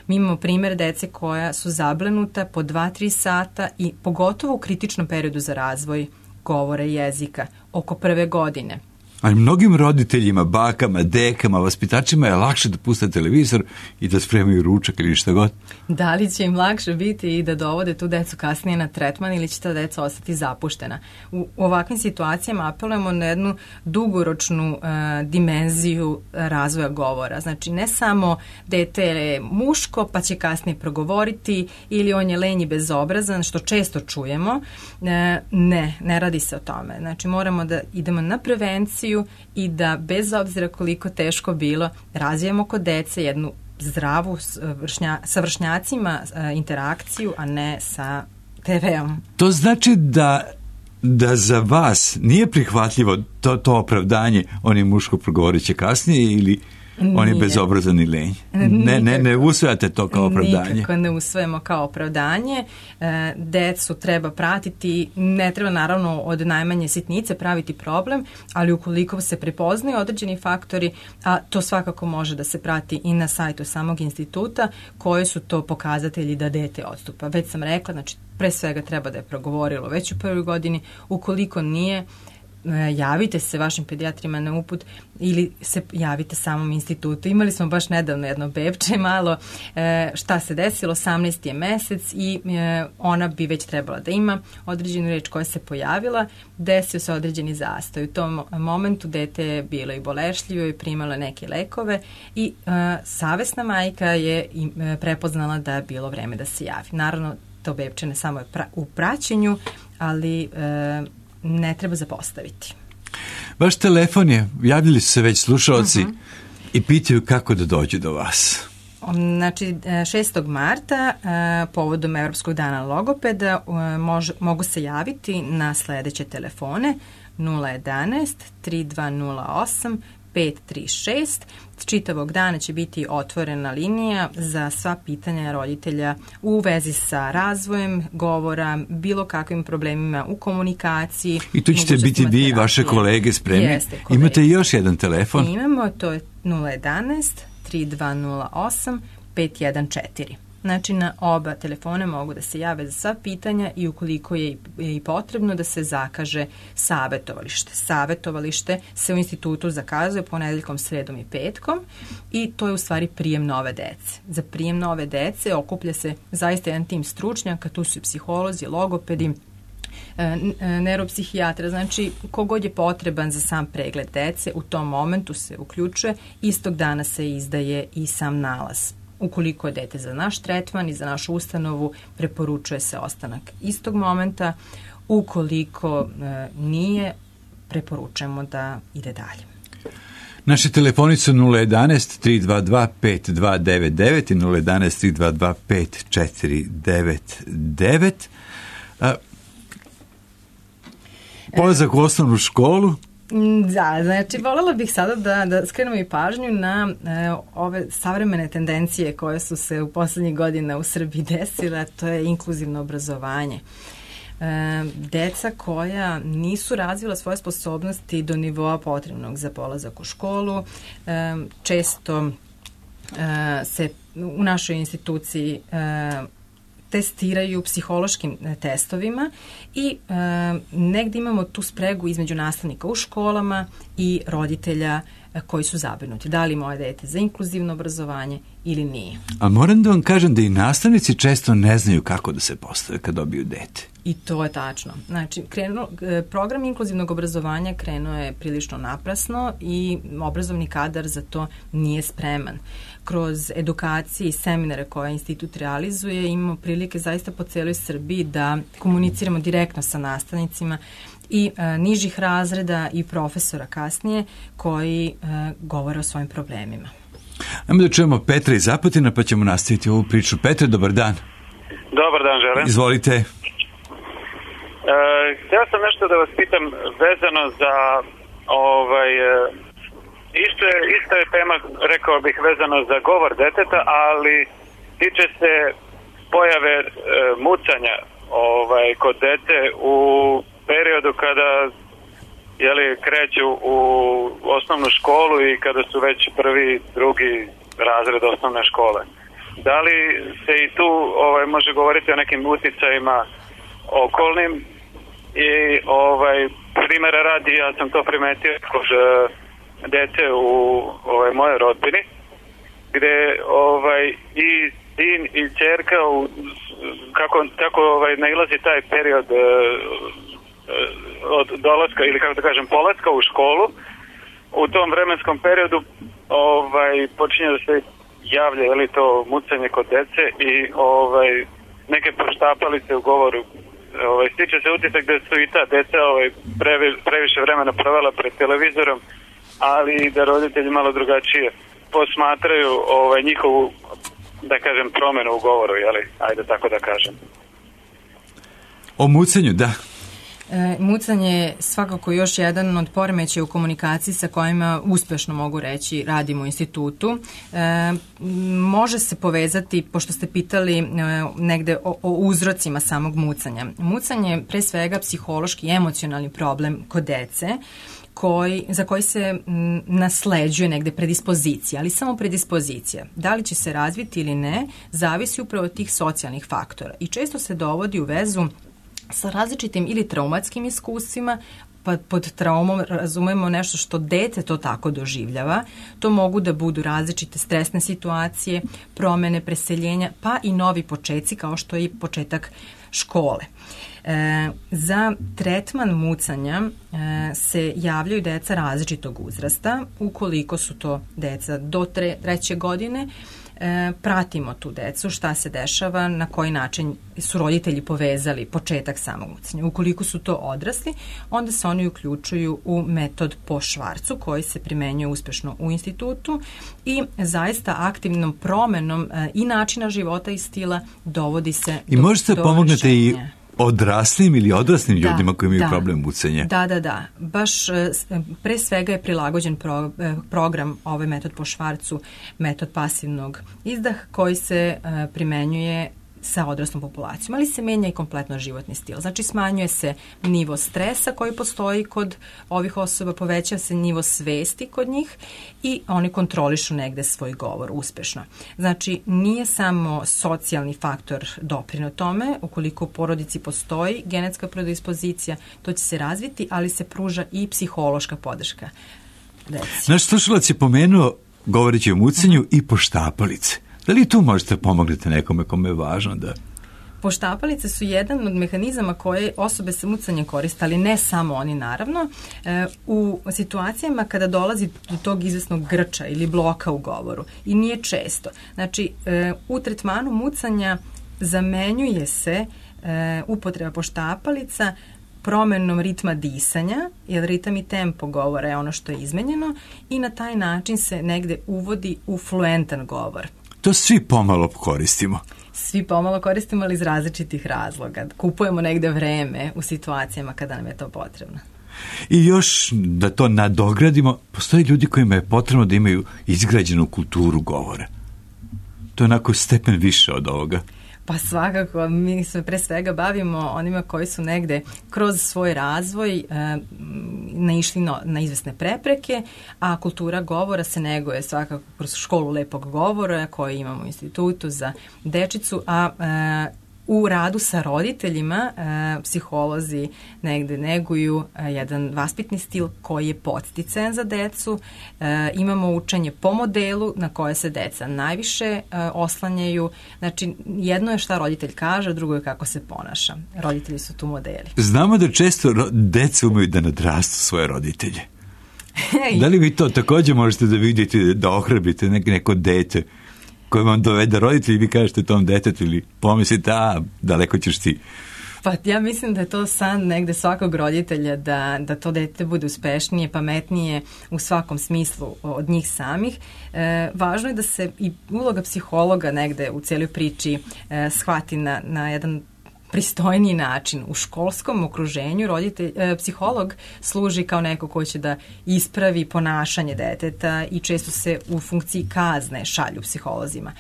Mi imamo primjer dece koja su zablenuta po dva do tri sata i pogotovo u kritičnom periodu za razvoj govora i jezika, oko prve godine. Ali mnogim roditeljima, bakama, dekama, vaspitačima je lakše da puste televizor i da spremaju ručak ili šta god. Da li će im lakše biti i da dovode tu decu kasnije na tretman ili će ta deca ostati zapuštena? U ovakvim situacijama apelujemo na jednu dugoročnu uh, dimenziju razvoja govora. Znači, ne samo dete je muško pa će kasnije progovoriti ili on je lenj i bezobrazan, što često čujemo. Uh, ne, ne radi se o tome. Znači, moramo da idemo na prevenciju i da bez obzira koliko teško bilo razvijemo kod dece jednu zdravu vršnja, sa vršnjacima interakciju, a ne sa te veom. To znači da da za vas nije prihvatljivo to, to opravdanje, on je muško, progovorit će kasnije ili on je bezobrazan i lenj. Ne, ne, ne usvajate to kao opravdanje. Nikako ne usvajamo kao opravdanje. E, decu treba pratiti, ne treba naravno od najmanje sitnice praviti problem, ali ukoliko se prepoznaju određeni faktori, a to svakako može da se prati i na sajtu samog instituta, koji su to pokazatelji da dete odstupa. Već sam rekla, znači pre svega treba da je progovorilo već u prvoj godini, ukoliko nije, javite se vašim pedijatrima na uput ili se javite samom institutu. Imali smo baš nedavno jedno bebče malo, e, šta se desilo, osamnaesti je mesec i e, ona bi već trebala da ima određenu reč koja se pojavila, desio se određeni zastoj. U tom momentu dete je bilo i bolešljivo i primalo neke lekove i e, savesna majka je e, prepoznala da je bilo vreme da se javi. Naravno, to bebče ne samo je pra, u praćenju, ali e, ne treba zapostaviti. Vaš telefon je, javljali su se već slušalci uh-huh. i pitaju kako da dođu do vas. Znači, šestog marta povodom Evropskog dana logopeda mož, mogu se javiti na sledeće telefone nula jedanaest tri dva nula osam pet tri šest. Čitavog dana će biti otvorena linija za sva pitanja roditelja u vezi sa razvojem govora, bilo kakvim problemima u komunikaciji. I tu ćete biti vi i vaše kolege spremni. Jeste, kolege. Imate još jedan telefon? Imamo, to je nula jedanaest tri dva nula osam pet jedan četiri. Znači, na oba telefona mogu da se jave za sva pitanja i ukoliko je i potrebno da se zakaže savetovalište. Savetovalište se u institutu zakazuje ponedeljkom, sredom i petkom i to je u stvari prijem nove dece. Za prijem nove dece okuplja se zaista jedan tim stručnjaka, tu su i psiholozi, logopedi, neuropsihijatra, znači kogod je potreban za sam pregled dece, u tom momentu se uključuje, istog dana se izdaje i sam nalaz. Ukoliko je dete za naš tretman i za našu ustanovu, preporučuje se ostanak istog momenta. Ukoliko e, nije, preporučujemo da ide dalje. Naše telefoni su nula jedanaest tri dva dva pet dva devet devet i nula jedanaest tri dva dva pet četiri devet devet. A, polazak u osnovnu školu. Da, znači voljela bih sada da, da skrenemo i pažnju na e, ove savremene tendencije koje su se u poslednjih godina u Srbiji desile, to je inkluzivno obrazovanje. E, deca koja nisu razvila svoje sposobnosti do nivoa potrebnog za polazak u školu, e, često e, se u našoj instituciji e, testiraju psihološkim testovima i e, negdje imamo tu spregu između nastavnika u školama i roditelja koji su zabrinuti. Da li moje dete za inkluzivno obrazovanje ili nije. A moram da vam kažem da i nastavnici često ne znaju kako da se postave kad dobiju dete. I to je tačno. Znači, krenuo, program inkluzivnog obrazovanja krenuo je prilično naprasno i obrazovni kadar za to nije spreman. Kroz edukacije i seminare koje institut realizuje imamo prilike zaista po celoj Srbiji da komuniciramo direktno sa nastavnicima i e, nižih razreda i profesora kasnije koji e, govore o svojim problemima. Ajmo da čujemo Petra iz Apatina pa ćemo nastaviti ovu priču. Petre, dobar dan. Dobar dan, želim. Izvolite. E, htio sam nešto da vas pitam vezano za ovaj, isto je, isto je tema, rekao bih, vezano za govor deteta, ali tiče se pojave e, mucanja ovaj, kod dete u periodu kada jeli, kreću u osnovnu školu i kada su već prvi, drugi razred osnovne škole. Da li se i tu ovaj, može govoriti o nekim uticajima okolnim i ovaj, primjera radi, ja sam to primetio kod uh, dete u ovaj, mojoj rodbini, gde ovaj, i sin i ćerka u, kako, kako ovaj, nailazi taj period uh, od dolaska ili kako da kažem polaska u školu, u tom vremenskom periodu ovaj, počinje da se javlja je li to mucanje kod dece i ovaj, neke poštapalice u govoru. Ovaj, stiče se utisak da su i ta deca ovaj, previ, previše vremena provela pred televizorom, ali da roditelji malo drugačije posmatraju ovaj, njihovu, da kažem, promenu u govoru, jeli? Ajde tako da kažem. O mucanju, da. E, mucanje je svakako još jedan od poremećaja u komunikaciji sa kojima uspešno mogu reći radimo u institutu. E, može se povezati, pošto ste pitali e, negde o, o uzrocima samog mucanja. Mucanje je pre svega psihološki i emocionalni problem kod dece, koji, za koji se m, nasleđuje negde predispozicija, ali samo predispozicija. Da li će se razviti ili ne, zavisi upravo od tih socijalnih faktora i često se dovodi u vezu sa različitim ili traumatskim iskustvima, pa pod traumom razumemo nešto što dete to tako doživljava. To mogu da budu različite stresne situacije, promene, preseljenja, pa i novi početci kao što je i početak škole. E, za tretman mucanja e, se javljaju deca različitog uzrasta. Ukoliko su to deca do tre, treće godine, E, pratimo tu decu, šta se dešava, na koji način su roditelji povezali početak samog mucanja. Ukoliko su to odrasli, onda se oni uključuju u metod po Švarcu koji se primenjuje uspešno u institutu i zaista aktivnom promenom e, i načina života i stila dovodi se I do, možete do pomognete rešenja. I odraslim ili odraslim da, ljudima koji imaju da, problem mucanja. Da, da, da. Baš pre svega je prilagođen pro, program, ovaj metod po Švarcu, metod pasivnog izdaha koji se uh, primenjuje sa odraslom populacijom, ali se menja i kompletno životni stil. Znači smanjuje se nivo stresa koji postoji kod ovih osoba, poveća se nivo svesti kod njih i oni kontrolišu negde svoj govor uspešno. Znači nije samo socijalni faktor doprineo tome, ukoliko u porodici postoji genetska predispozicija, to će se razviti, ali se pruža i psihološka podrška deci. Naš slušalac je pomenuo, govoreći o mucanju, uh-huh. i poštapalice. Da li tu možete pomogniti nekome kome je važno da... Poštapalice su jedan od mehanizama koje osobe sa mucanjem koriste, ali ne samo oni naravno. E, u situacijama kada dolazi do tog izvesnog grča ili bloka u govoru i nije često. Znači, e, u tretmanu mucanja zamenjuje se e, upotreba poštapalica promenom ritma disanja, jer ritam i tempo govora je ono što je izmenjeno i na taj način se negde uvodi u fluentan govor. To svi pomalo koristimo. Svi pomalo koristimo, ali iz različitih razloga. Kupujemo negde vreme u situacijama kada nam je to potrebno. I još da to nadogradimo, postoje ljudi kojima je potrebno da imaju izgrađenu kulturu govora. To je onako stepen više od ovoga. Pa svakako, mi se pre svega bavimo onima koji su negde kroz svoj razvoj e, naišli na, na izvesne prepreke, a kultura govora se neguje svakako kroz školu lepog govora koju imamo u institutu za dečicu, a e, u radu sa roditeljima e, psiholozi negde neguju e, jedan vaspitni stil koji je podsticajan za decu. E, imamo učenje po modelu na koje se deca najviše e, oslanjaju. Znači, jedno je šta roditelj kaže, drugo je kako se ponaša. Roditelji su tu modeli. Znamo da često ro- deca umeju da nadrastu svoje roditelje. Da li vi to također možete da vidite, da ohrabrite nek- neko dete koji vam dovede roditelji i vi kažete tom detetu ili pomislite, a daleko ćeš ti? Pa ja mislim da je to san negde svakog roditelja da, da to dete bude uspešnije, pametnije u svakom smislu od njih samih. E, važno je da se i uloga psihologa negde u cijeloj priči e, shvati na, na jedan pristojniji način. U školskom okruženju roditelj, e, psiholog služi kao neko ko će da ispravi ponašanje deteta i često se u funkciji kazne šalju psiholozima.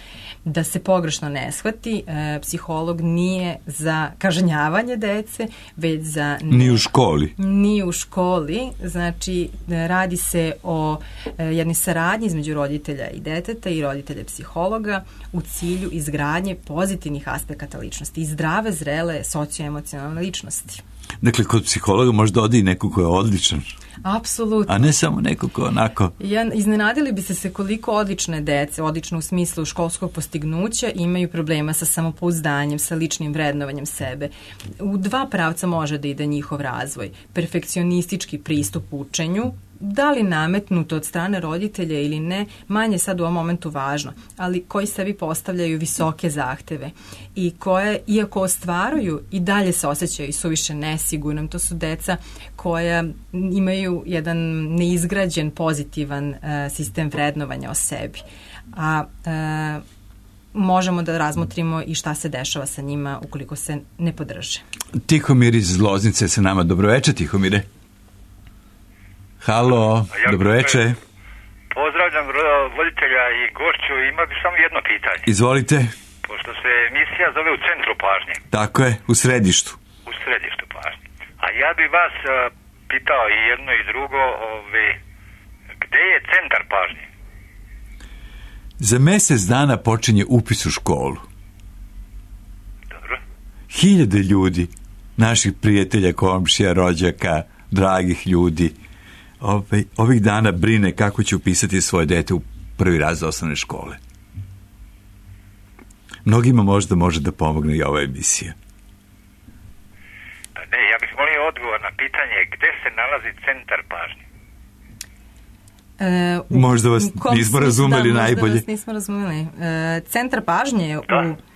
Da se pogrešno ne shvati, e, psiholog nije za kažnjavanje dece, već za... Ne, ni u školi. Ni u školi. Znači, radi se o e, jednoj saradnji između roditelja i deteta i roditelja i psihologa u cilju izgradnje pozitivnih aspekata ličnosti i zdrave, zrele socioemocionalne ličnosti. Dakle, kod psihologa možda odi neko ko je odličan. Apsolutno. A ne samo neko ko onako... Ja, iznenadili bi se se koliko odlične dece, odlično u smislu školskog postignuća, imaju problema sa samopouzdanjem, sa ličnim vrednovanjem sebe. U dva pravca može da ide njihov razvoj. Perfekcionistički pristup učenju, da li nametnuto od strane roditelja ili ne, manje sad u ovom momentu važno, ali koji sebi postavljaju visoke zahteve i koje, iako ostvaruju, i dalje se osjećaju suviše nesigurnom. To su deca koja imaju jedan neizgrađen pozitivan uh, sistem vrednovanja o sebi. A uh, možemo da razmotrimo i šta se dešava sa njima ukoliko se ne podrže. Tihomir iz Loznice sa nama. Dobroveče, Tihomire. Halo, ja, dobroveče. Pozdravljam voditelja i gošću, ima bi samo jedno pitanje. Izvolite. Pošto se emisija zove U centru pažnje. Tako je, u središtu. U središtu pažnje. A ja bi vas uh, pitao i jedno i drugo, ove, gde je centar pažnje? Za mjesec dana počinje upis u školu. Dobro. Hiljade ljudi, naših prijatelja, komšija, rođaka, dragih ljudi, Ove, ovih dana brine kako će upisati svoje dete u prvi razred osnovne škole. Mnogima možda može da pomogne i ova emisija. Ne, ja bih molio odgovor na pitanje gde se nalazi centar pažnje. E, u, možda vas nismo razumeli da, najbolje. Možda vas nismo razumeli. E, centar pažnje je da. u...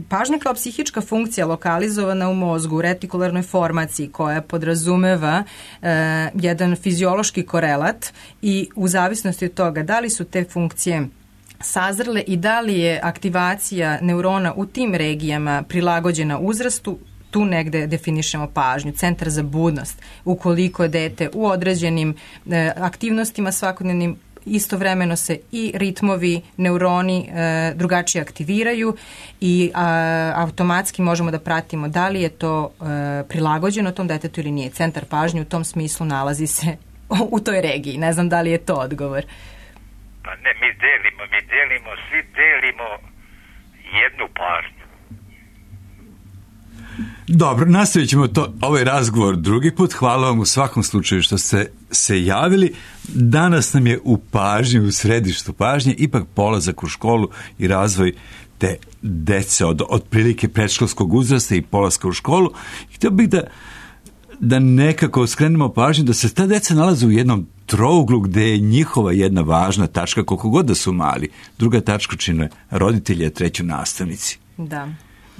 Pažnja kao psihička funkcija lokalizovana u mozgu u retikularnoj formaciji koja podrazumeva e, jedan fiziološki korelat i u zavisnosti od toga da li su te funkcije sazrele i da li je aktivacija neurona u tim regijama prilagođena uzrastu, tu negde definišemo pažnju, centar za budnost. Ukoliko je dete u određenim e, aktivnostima svakodnevnim, istovremeno se i ritmovi, neuroni e, drugačije aktiviraju i a, automatski možemo da pratimo da li je to e, prilagođeno tom detetu ili nije. Centar pažnje u tom smislu nalazi se u toj regiji. Ne znam da li je to odgovor. Pa ne, mi delimo, mi delimo, svi delimo jednu pažnju. Dobro, nastavit ćemo to, ovaj razgovor drugi put. Hvala vam u svakom slučaju što ste se javili. Danas nam je u pažnji, u središtu pažnje, ipak polazak u školu i razvoj te dece od, od prilike predškolskog uzrasta i polaska u školu. Htio bih da, da nekako skrenemo pažnju da se ta deca nalaze u jednom trouglu gde je njihova jedna važna tačka, koliko god da su mali. Druga tačka čine roditelji, a treću nastavnici. Da.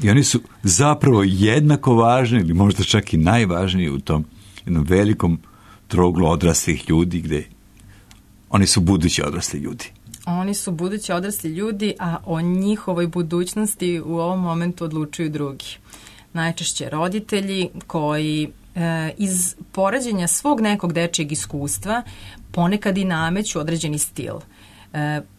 I oni su zapravo jednako važni ili možda čak i najvažniji u tom jednom velikom trouglu odraslih ljudi gde oni su budući odrasli ljudi. Oni su budući odrasli ljudi, a o njihovoj budućnosti u ovom momentu odlučuju drugi. Najčešće roditelji koji e, iz poređenja svog nekog dečijeg iskustva ponekad i nameću određeni stil.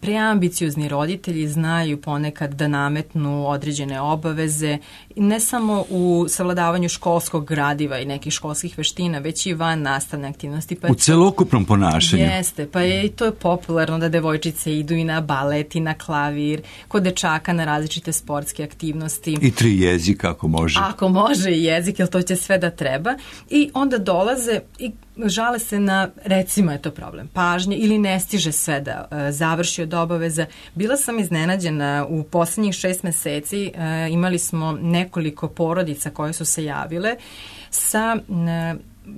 Preambiciozni roditelji znaju ponekad da nametnu određene obaveze, ne samo u savladavanju školskog gradiva i nekih školskih veština, već i van nastavne aktivnosti. Pa u celokupnom ponašanju. Jeste, pa je i to je popularno da devojčice idu i na balet i na klavir, kod dečaka na različite sportske aktivnosti. I tri jezika ako može. Ako može i jezik, jer to će sve da treba. I onda dolaze i žale se na, recimo je to problem, pažnje ili ne stiže sve da e, završi od obaveza. Bila sam iznenađena u poslednjih šest meseci, e, imali smo nekoliko porodica koje su se javile sa e,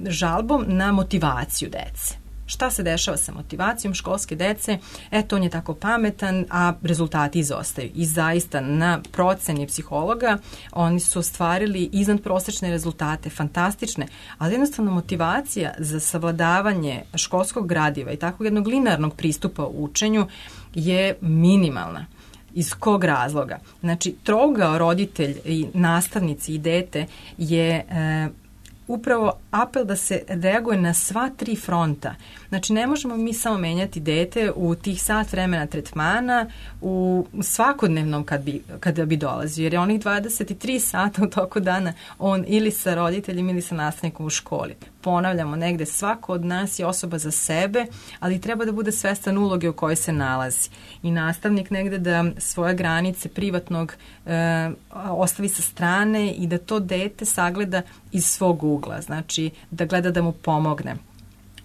žalbom na motivaciju dece. Šta se dešava sa motivacijom školske dece? Eto, on je tako pametan, a rezultati izostaju. I zaista na proceni psihologa oni su ostvarili iznadprosečne rezultate, fantastične, ali jednostavno motivacija za savladavanje školskog gradiva i takvog jednog linearnog pristupa u učenju je minimalna. Iz kog razloga? Znači, trougao roditelj i nastavnici i dete je e, upravo apel da se reaguje na sva tri fronta. Znači, ne možemo mi samo menjati dete u tih sat vremena tretmana u svakodnevnom kad bi, kada bi dolazio, jer je onih dvadeset tri sata u toku dana on ili sa roditeljem ili sa nastavnikom u školi. Ponavljamo, negde svako od nas je osoba za sebe, ali treba da bude svestan uloge u kojoj se nalazi. I nastavnik negde da svoje granice privatnog e, ostavi sa strane i da to dete sagleda iz svog ugla. Znači, da gleda da mu pomogne.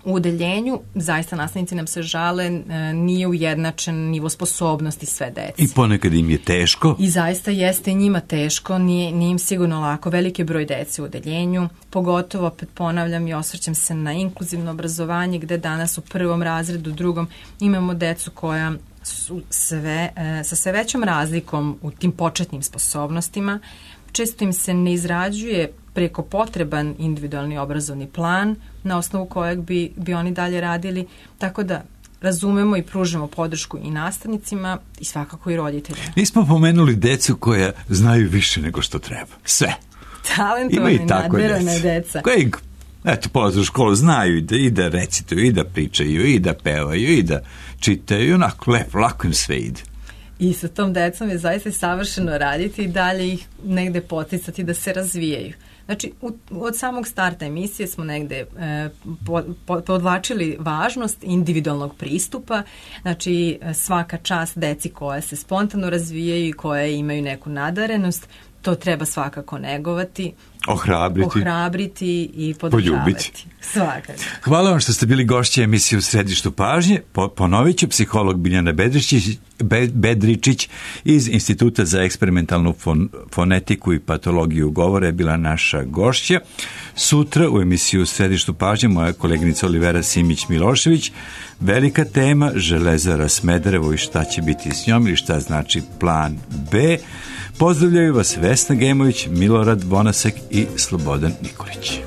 U udeljenju, zaista nastavnici nam se žale, nije ujednačen nivo sposobnosti sve dece. I ponekad im je teško. I zaista jeste njima teško, nije, nije im sigurno lako. Veliki broj dece u udeljenju, pogotovo, opet ponavljam i osvrćem se na inkluzivno obrazovanje, gde danas u prvom razredu, drugom, imamo decu koja su sve, sa sve većom razlikom u tim početnim sposobnostima. Često im se ne izrađuje preko potreban individualni obrazovni plan na osnovu kojeg bi, bi oni dalje radili, tako da razumemo i pružamo podršku i nastavnicima i svakako i roditeljima. Nismo pomenuli decu koja znaju više nego što treba. Sve. Talentovane, nadverane deca. Koji, eto, polaze u školu, znaju i da, i da recituju, i da pričaju, i da pevaju, i da čitaju, onako lepo, lako im sve ide. I sa tom decom je zaista savršeno raditi i dalje ih negde poticati da se razvijaju. Znači, u, od samog starta emisije smo negde e, po, po, podvlačili važnost individualnog pristupa, znači svaka čast deci koja se spontano razvijaju i koje imaju neku nadarenost, to treba svakako negovati, ohrabriti, ohrabriti i podržavati. Poljubiti. Svakako. Hvala vam što ste bili gošće emisije U središtu pažnje. Po, ponovit ću, psiholog Biljana Bedričić, Be, Bedričić iz Instituta za eksperimentalnu fon, fonetiku i patologiju govora je bila naša gošća. Sutra u emisiju U središtu pažnje moja koleginica Olivera Simić-Milošević. Velika tema Železara Smederevo i šta će biti s njom ili šta znači plan B. Pozdravljaju vas Vesna Gemović, Milorad Bonasek i Slobodan Nikolić.